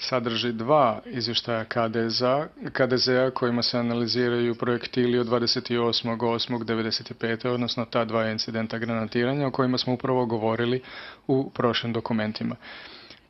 sadrži dva izvještaja KDZ-a kojima se analiziraju projektili od 28.8.1995. odnosno ta dva incidenta granatiranja o kojima smo upravo govorili u prošlim dokumentima.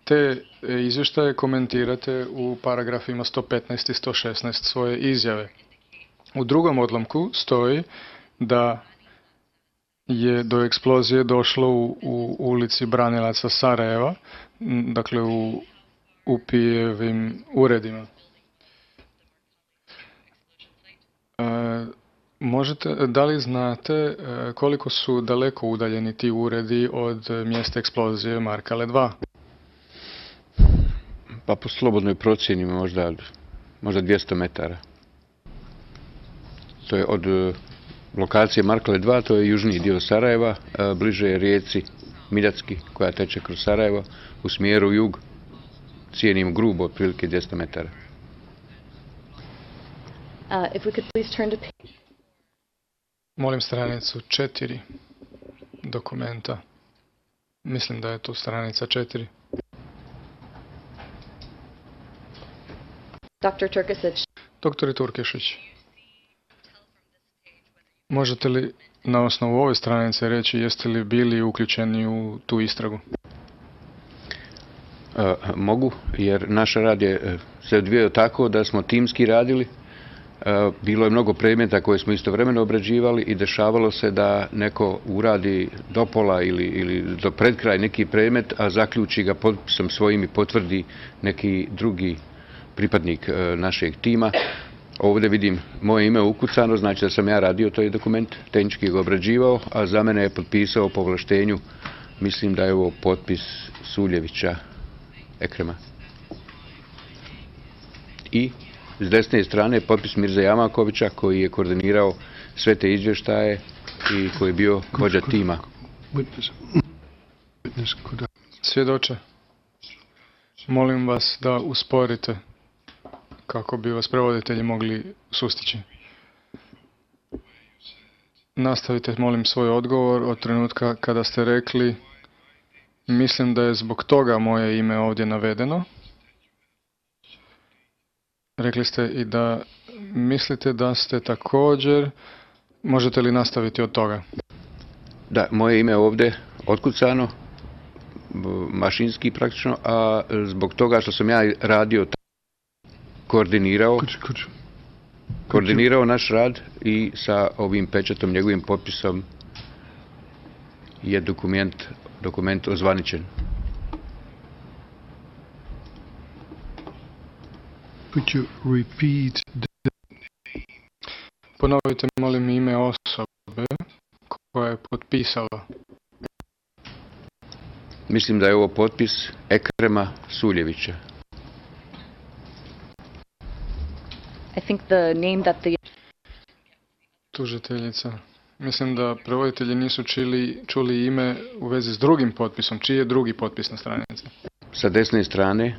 Te izvještaje komentirate u paragrafima 115 i 116 svoje izjave. U drugom odlomku stoji da je do eksplozije došlo u ulici Branilaca Sarajeva, dakle u UPI-evim uredima. Da li znate koliko su daleko udaljeni ti uredi od mjesta eksplozije Markale 2? Pa po slobodnoj procjeni možda 200 metara. To je od lokacije Markale 2, to je južniji dio Sarajeva, bliže je rijeci Miljacki koja teče kroz Sarajevo u smjeru jug. Cijenim grubo otprilike 200 metara. Molim stranicu 4 dokumenta. Mislim da je tu stranica 4. Dr. Turkešić, možete li na osnovu ove stranice reći jeste li bili uključeni u tu istragu? Mogu, jer naš rad je se odvijao tako da smo timski radili. Bilo je mnogo predmeta koje smo istovremeno obrađivali i dešavalo se da neko uradi do pola ili do pred kraj neki predmet, a zaključi ga potpisom svojim i potvrdi neki drugi pripadnik našeg tima. Ovdje vidim moje ime ukucano, znači da sam ja radio taj dokument, tehnički ga obrađivao, a za mene je potpisao po ovlaštenju, mislim da je ovo potpis Suljevića Ekrema. I s desne strane je potpis Mirze Jamakovića koji je koordinirao sve te izvještaje i koji je bio vođa tima. Svjedoče, molim vas da usporite kako bi vas prevoditelji mogli sustići. Nastavite, molim, svoj odgovor od trenutka kada ste rekli mislim da je zbog toga moje ime ovdje navedeno. Rekli ste i da mislite da ste također, možete li nastaviti od toga? Da, moje ime je ovdje otkucano, mašinski praktično, a zbog toga što sam ja radio koordinirao naš rad i sa ovim pečatom, njegovim potpisom je dokument ozvaničen. Ponovite, molim, ime osobe koja je potpisala. Mislim da je ovo potpis Ekrema Suljevića. Tužiteljica. Mislim da prevoditelji nisu čuli ime u vezi s drugim potpisom. Čiji je drugi potpis na stranici? Sa desne strane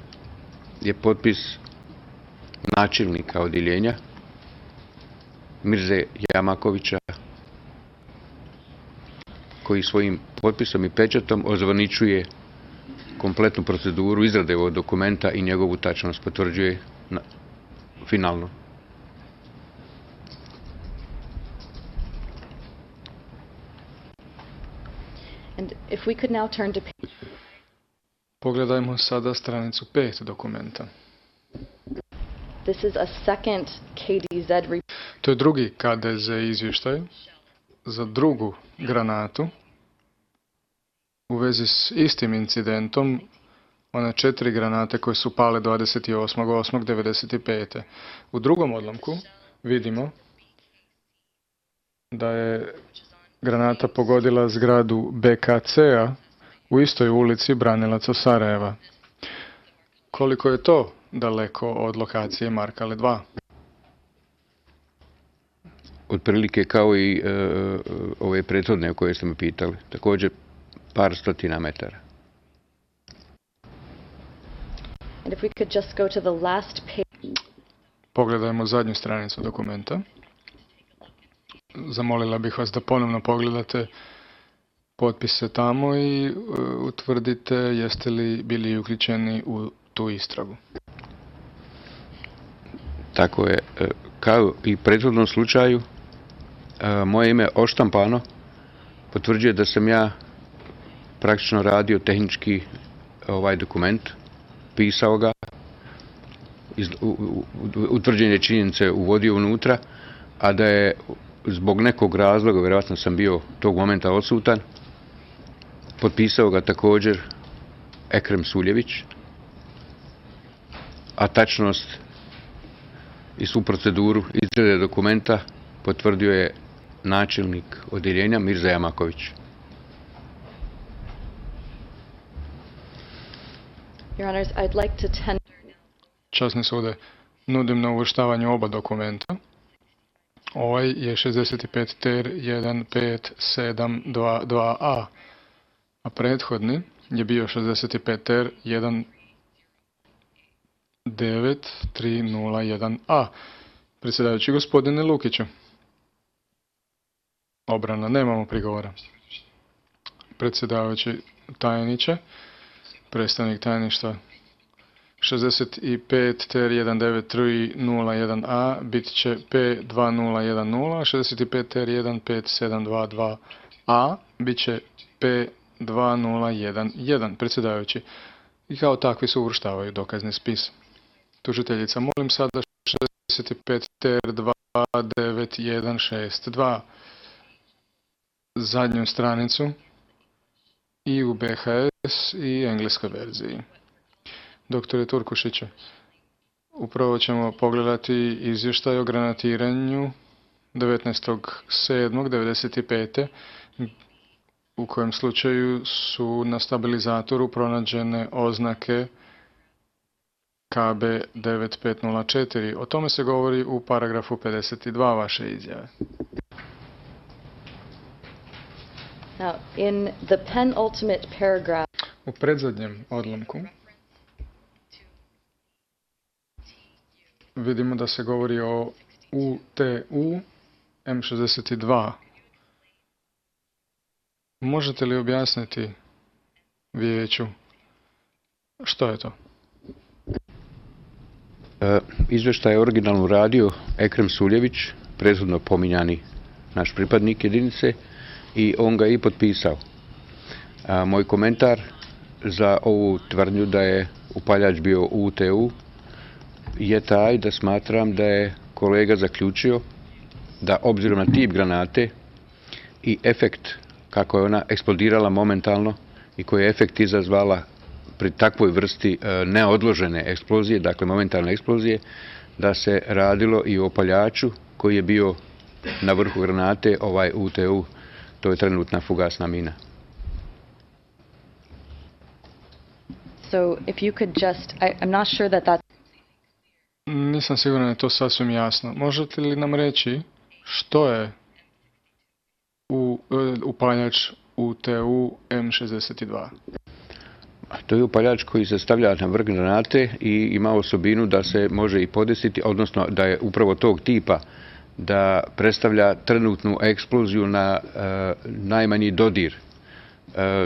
je potpis načelnika odjeljenja Mirze Jamakovića koji svojim potpisom i pečatom ozvaničuje kompletnu proceduru izrade ovog dokumenta i njegovu tačnost potvrđuje finalno. Pogledajmo sada stranicu 5 dokumenta. To je drugi KDZ izvještaj za drugu granatu u vezi s istim incidentom, one 4 granate koje su pale 28.8.1995. U drugom odlomku vidimo da je granata pogodila zgradu BKC-a u istoj ulici Branilaca Sarajeva. Koliko je to daleko od lokacije Markale 2? Otprilike kao i ove prethodne o koje ste me pitali. Također par stotina metara. Pogledajmo zadnju stranicu dokumenta. Zamolila bih vas da ponovno pogledate potpise tamo i utvrdite jeste li bili uključeni u tu istragu. Tako je, kao i u prethodnom slučaju, moje ime oštampano potvrđuje da sam ja praktično radio tehnički ovaj dokument, pisao ga, utvrđene činjenice uvodio unutra, a da je zbog nekog razloga, vjerojatno sam bio tog momenta odsutan, potpisao ga također Ekrem Suljević, a tačnost i svu proceduru izrade dokumenta potvrdio je načelnik odjeljenja Mirza Jamaković. Your Honors, I'd like to Časni sude, nudim na uvrštavanje oba dokumenta. Ovaj je 65 ter 15722A, a prethodni je bio 65 ter 19301A. Predsjedavajući gospodine Lukiću. Obrana, nemamo prigovora. Predsjedavajući tajniče, predstavnik tajništva 65 ter 19301A bit će P2010, 65 ter 15722A bit će P2011. Predsjedavajući, i kao takvi se uvrštavaju dokazni spis. Tužiteljica, molim sada 65 ter 29162 zadnju stranicu i u BHS i engleskoj verziji. Doktore Turkušiću, upravo ćemo pogledati izvještaj o granatiranju 19.7.1995. u kojem slučaju su na stabilizatoru pronađene oznake KB 9504. O tome se govori u paragrafu 52 vaše izjave. Now, in the penultimate paragraph, U predzadnjem odlomku vidimo da se govori o UTU M62. Možete li objasniti vijeću što je to? Izvještaj je originalno radio Ekrem Suljević, prethodno pominjani naš pripadnik jedinice, i on ga i potpisao. Moj komentar za ovu tvrdnju da je upaljač bio UTU je taj da smatram da je kolega zaključio da obzirom na tip granate i efekt kako je ona eksplodirala momentalno i koji je efekt izazvala pri takvoj vrsti neodložene eksplozije, dakle momentalne eksplozije, da se radilo i o upaljaču koji je bio na vrhu granate, ovaj UTU, to je trenutna fugasna mina. so if you could just, I'm not sure that that's Nisam siguran da je to sasvim jasno. Možete li nam reći što je upaljač UTU M62? To je upaljač koji se stavlja na vrh granate i ima osobinu da se može i podesiti, odnosno da je upravo tog tipa da predstavlja trenutnu eksploziju na najmanji dodir.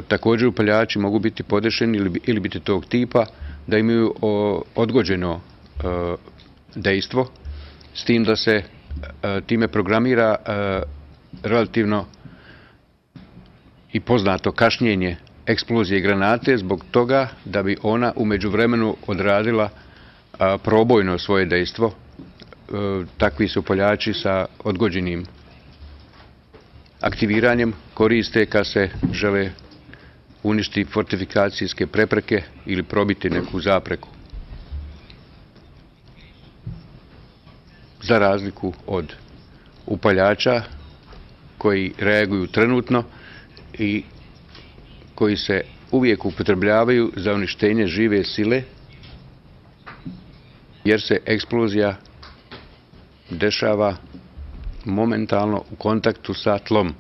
Također upaljači mogu biti podešeni ili biti tog tipa da imaju odgođeno dejstvo, s tim da se time programira relativno i poznato kašnjenje eksplozije granate zbog toga da bi ona u međuvremenu odradila probojno svoje dejstvo. Takvi su upaljači sa odgođenim aktiviranjem koriste kad se žele uništiti fortifikacijske prepreke ili probiti neku zapreku. Za razliku od upaljača koji reaguju trenutno i koji se uvijek upotrebljavaju za uništenje žive sile, jer se eksplozija dešava momentalno u kontaktu sa tlom.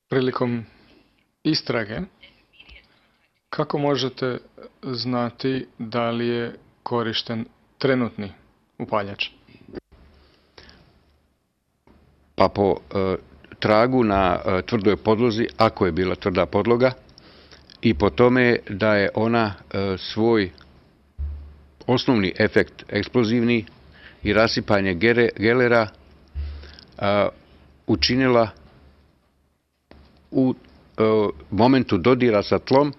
Prilikom istrage, kako možete znati da li je korišten trenutni upaljač? Pa po tragu na tvrdoj podlozi, ako je bila tvrda podloga, i po tome da je ona svoj osnovni efekt eksplozivni i rasipanje gelera učinila u momentu dodira sa tlom,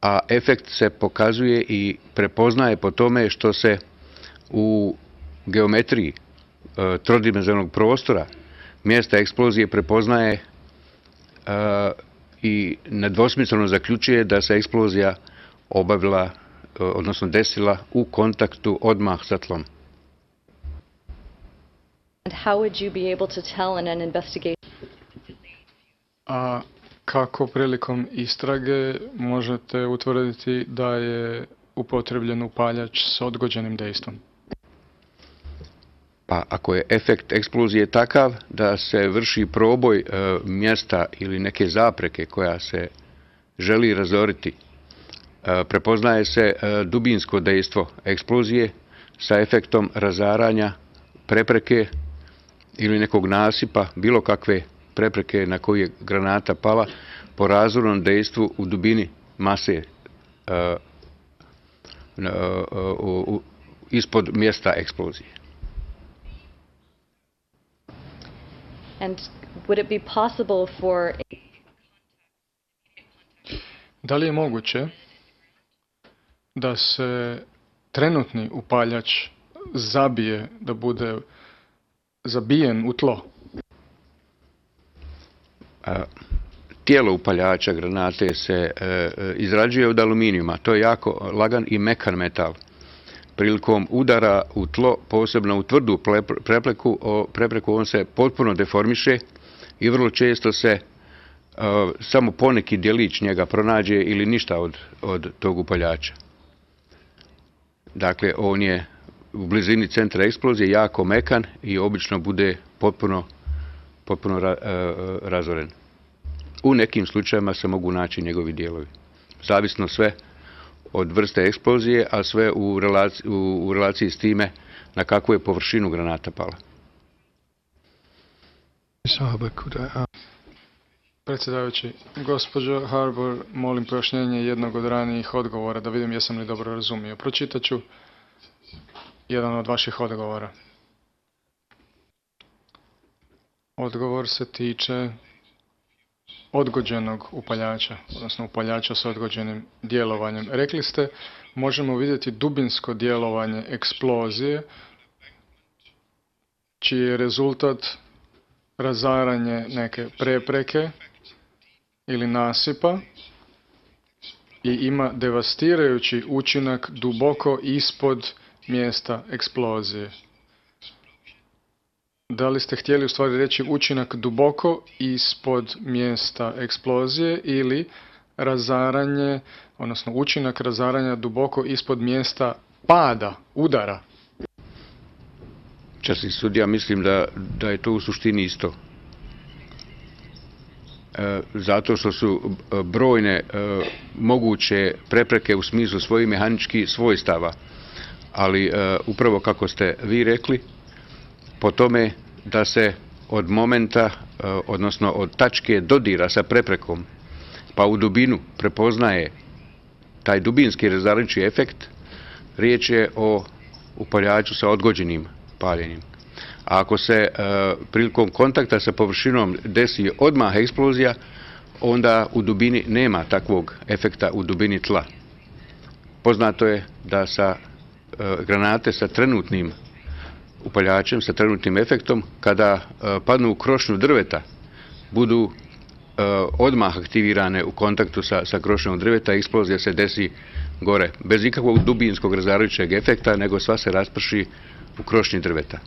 a efekt se pokazuje i prepoznaje po tome što se u geometriji trodimenzionalnog prostora mjesta eksplozije prepoznaje i nedvosmisleno zaključuje da se eksplozija obavila, odnosno desila u kontaktu odmah sa tlom. And how would you be able to tell in an investigation? A kako prilikom istrage možete utvrditi da je upotrebljen upaljač s odgođenim dejstvom? Pa ako je efekt eksplozije takav da se vrši proboj mjesta ili neke zapreke koja se želi razoriti, prepoznaje se dubinsko dejstvo eksplozije sa efektom razaranja prepreke ili nekog nasipa, bilo kakve prepreke na koju je granata pala, po razornom dejstvu u dubini mase ispod mjesta eksplozije. And would it be possible for... Da li je moguće da se trenutni upaljač zabije, da bude zabijen u tlo? Tijelo upaljača granate se izrađuje od aluminijuma. To je jako lagan i mekan metal. Prilikom udara u tlo, posebno u tvrdu prepreku, on se potpuno deformiše i vrlo često se samo poneki djelić njega pronađe ili ništa od tog upaljača. Dakle, on je u blizini centra eksplozije jako mekan i obično bude potpuno razoren. U nekim slučajevima se mogu naći njegovi dijelovi. Zavisno sve od vrste eksplozije, a sve u relaciji s time na kakvu je površinu granata pala. Predsjedavajući, gospođo Harbour, molim pojašnjenje jednog od ranijih odgovora, da vidim jesam li dobro razumio. Pročitat ću jedan od vaših odgovora. Odgovor se tiče odgođenog upaljača, odnosno upaljača s odgođenim djelovanjem. Rekli ste, možemo vidjeti dubinsko djelovanje eksplozije, čiji je rezultat razaranje neke prepreke ili nasipa i ima devastirajući učinak duboko ispod mjesta eksplozije. Da li ste htjeli u stvari reći učinak duboko ispod mjesta eksplozije ili razaranje, odnosno učinak razaranja duboko ispod mjesta pada, udara? Časni sudija, mislim da je to u suštini isto. Zato što su brojne moguće prepreke u smislu svojih mehaničkih svojstava, ali upravo kako ste vi rekli, po tome da se od momenta, odnosno od tačke dodira sa preprekom, pa u dubinu prepoznaje taj dubinski razarajući efekt, riječ je o upaljaču sa odgođenim paljenjem. A ako se prilikom kontakta sa površinom desi odmah eksplozija, onda u dubini nema takvog efekta u dubini tla. Poznato je da sa granate sa trenutnim upaljačem, sa trenutnim efektom, kada padnu u krošnju drveta, budu odmah aktivirane u kontaktu sa krošnjom drveta, eksplozija se desi gore, bez ikakvog dubinskog razarajućeg efekta, nego sva se rasprši u krošnji drveta.